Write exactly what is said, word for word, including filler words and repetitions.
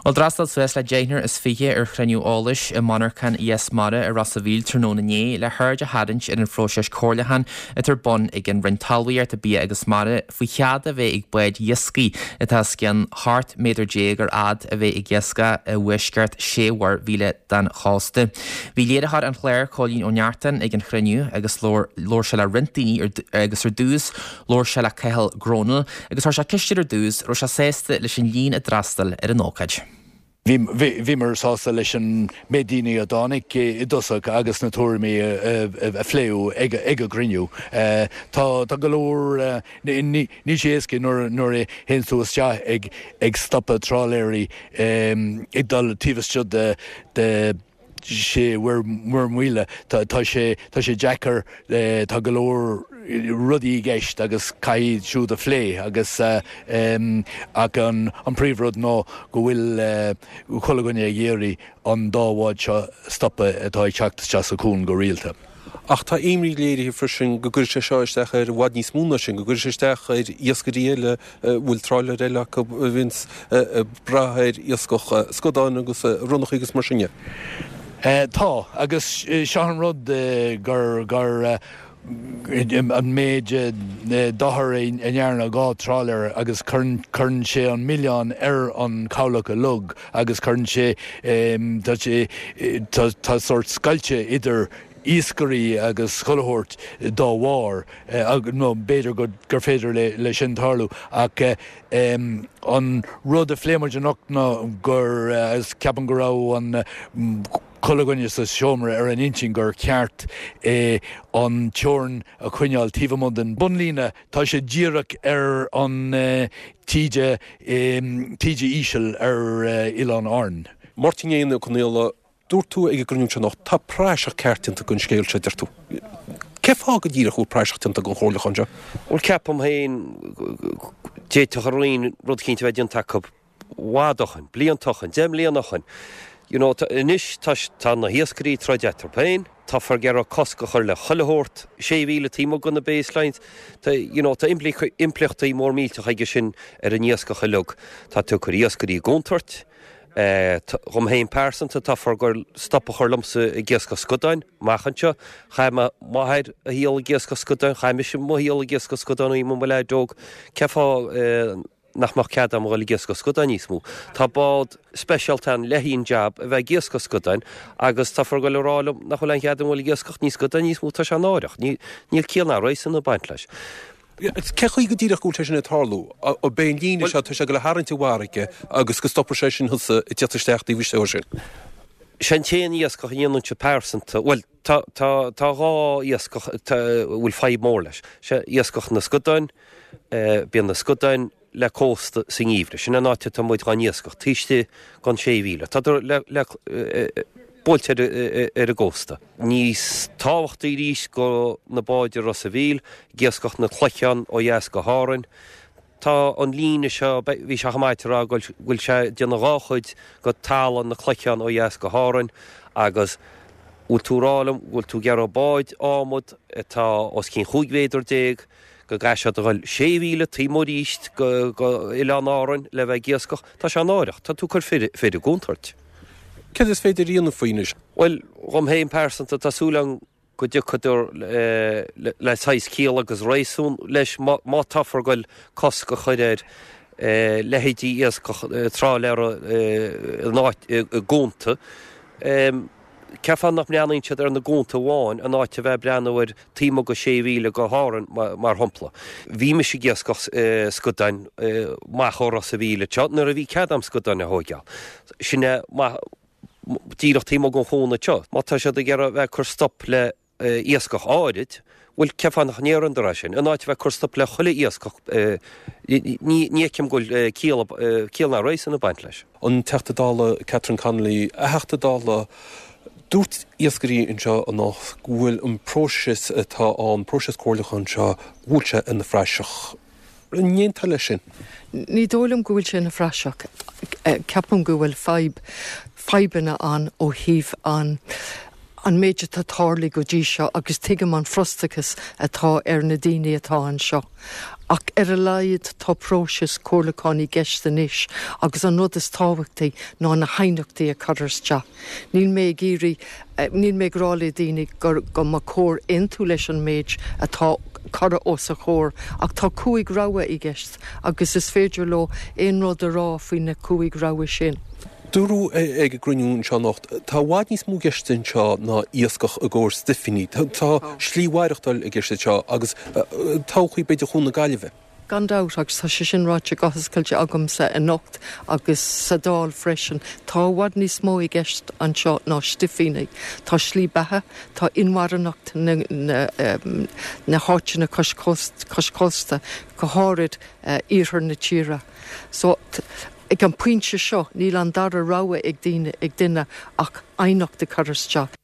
Well d'fhreastail suas le deichniúr is fiche ar chruinniú eolais i monarchan Iascmara i Ros a' Mhíl tráthnóna inné le haird a tharraingt ar an phróiseas comhairliúcháin atá ar bun ag an Roinn Talmhaíochta Bia agus Mara faoi chead a bheith ag báid iascaigh atá os cionn ocht méadar déag ar fhad a bheith ag iascach i bhfoisceacht sé mhuirmhíle den chósta. Bhí léiritheoir an chláir Cóilín Ó Neachtain ag an chruinniú agus labhair sé le roinnt daoine agus ar dtús labhair sé le Cathal Grónal agus chuir sé ceist ar dtús raibh sé sásta leis an líon a d'fhreastail ar an ócáid. Bhíomar sásta leis an méid daoine a dtáinig i dtosach agus na tuairimí a pléadh ag an gcruinniú. Tá tá go leor níl sé éasca nuair a théann tú isteach ag ag stopadh trálaeirí ag dul taobh istigh de de sé muir mhíle tá sé tá sé deacair tá go leor rudaí i gceist agus caithfidh siúd a phlé agus ach an an príomhrud ná go bhfuil chuile dhuine ag iarraidh an dá bhád seo stopadh atá ag teacht isteach sa cuan go rialta. Ach tá imní léirithe freisin go gcuirfidh sé seo isteach ar i bhfad níos mó ná sin, go gcuirfidh sé isteach ar iascairí eile bhfuil trálaeir eile acu a bhíonns brath ar iascach scadán agus ronnacha agus mar sin de. Tá agus seo an rud gur gur an méid dochar a ndearna dhá trálaer agus cuireann sé an milleán ar an chabhlach uilig agus cuireann sé tá sórt scoilte idir iascairí agus chuile shórt dá bharr nó b'fhéidir gur féidir le le sin tarlú ach an rud a phléigh muid anocht ná gur ceapaim go raibh an chuile dhuine sa seomra ar an intinn gur ceart é an teorainn a choinneáil taobh amuigh den bunlíne tá sé díreach ar an taoide taoide íseal ar Oileáin Árann. Máirtín Éanna Ó Conaola dúirt tú ag an gcruinniú seo anocht tá praiseach ceart déanta den scéal seo deir tú. Cé fáth go díreach bhfuil praiseach déanta den chomhairliúchán seo? Bhuel ceapaim féin d'fhéadfadh an Roinn rud éicint a bheith déanta acu i bhfad ó shin, blianta ó shin, deich mbliana ó shin. You know, anois tá na hiascairí ag troid eatarthu féin, tá fir ag iarraidh cosc a chur le chuile shórt sé mhíle taobh amuigh de na baselines. Tá you know, tá impleachtaí mór millteach aige sin ar an iascach uilig. Tá tú ag cur iascairí i gcontúirt. Dhom féin pearsanta tá fir ag goil stop a chur liomsa ag iascach scadáin amach anseo. Chaith m'athair a shaol ag iascach scadáin, chaith mise mo shaol ag iascach scadáin ó bhí mé i mo leaid óg. Cé fáth nach mbeadh cead agam a dhul ag iascach scadáin níos mó. Tá bád speisialta ann le haghaidh an jab a bheith ag iascach scadáin agus tá fir ag goil a rá liom nach bhfuil aon chead agam a dhul ag iascach níos scadáin níos mó tá sé náireach. Níl ciall ná réasún ag baint leis. Cé chaoi go díreach go bhfuil sé sin ag tarlú? Ab é an líne seo tá sé ag goil a tharraingt i bhfarraige agus go stopfaidh sé sin thusa ag tíocht isteach taobh istigh sin. Sé an t-aon iascach a dhéanainnse pearsanta, bhuel tá tá tá dhá iascach a bhfuil fadhb mór leis. Sé iascach na scadáin, bíonn na scadáin le cósta sa ngeimhreadh. Sin an áit atá muid dhá n-iascach, taobh istigh den sé mhíle. Tá le le buailte ar an gcósta. Níos tábhachtaí arís go na báid i Ros a' Mhíl, ag iascach na cloicheán ó dheas go hÁrainn. Tá an líne seo, bhí sé chomh maith a rá go bhfuil sé ag déanamh dhá chuid go talamh na cloicheán ó dheas go hÁrainn agus bhfuil tú ag rá liom go bhfuil tú ag iarraidh báid adhmad atá os cionn chúig mhéadar déag go gcaithfidh siad a dhul sé mhíle taobh amuigh arís go go Oileán Árainn le bheith ag iascach, tá sé náireach, tá tú ag cur fir fir i gcontúirt. Céard is féidir a dhéanamh faoi anois? Bhuel, dhom féin pearsanta tá súil agam go dtiocfadar le le saghas ciall agus réasún leis má má táfar ag goil cosc a chur ar leithéidí iascach trálaera in áit i gcuanta. Cé fáth nach mbreathnaíonn siad ar na gcuanta amháin in áit a bheith ag breathnú ar taobh amuigh de sé mhíle go hÁrainn mar shampla. Bhí mise ag iascach scadáin amach ó Ros a' Mhíl anseo nuair a bhí cead agam scadáin a thóigeáil. Sin é díreach taobh amuigh den chuan anseo. Má tá siad ag iarraidh bheith ag cur stop le iascach áirid, bhuel cé fáth nach ndéarfadar é sin? In áit a bheith ag cur stop le chuile iascach ní fheicim go bhfuil ciall ciall ná réasún ag baint leis. An Teachta Dála Catherine Connolly, a Theachta Dála, dúirt iascairí anseo anocht go bhfuil an próiseas atá ann, próiseas comhairliúcháin seo, go bhfuil sé ina phraiseach. An n-aontófá leis sin? Ní dóigh liom go bhfuil sé ina phraiseach. Ceapaim go bhfuil fadhb fadhbanna ann ó thaobh an an méid atá tarlaithe go dtí seo agus tuigim an frustrachas atá ar na daoine atá anseo. Ach ar a laghad tá próiseas comhairliúcháin i gceist anois agus an rud is tábhachtaí ná na haighneachtaí a chur isteach. Níl mé ag iarraidh níl mé ag rá le daoine gur go mba chóir aontú leis an méid atá curtha os a chomhair, ach tá cúig rogha i gceist agus is féidir leo aon rud a rá faoi na cúig rogha sin. Dúradh ag an gcruinniú anseo anocht, tá i bhfad níos mó i gceist anseo ná iascach i gcomhair stuifíní. Tá slí mhaireachtáil i gceist anseo agus todhchaí b'fhéidir Chuan na Gaillimhe. Gan dabht, agus tá sé sin ráite go hoscailte agamsa anocht agus sa Dáil freisin, tá i bhfad níos mó i gceist anseo ná stuifíní. Tá slí beatha, tá inmharthanacht na, na, na háiteanna cois cósta, go háirid iarthar na tíre. So, ag an bpointe seo níl an dara rogha ag daoine ag duine ach aighneacht a chur isteach.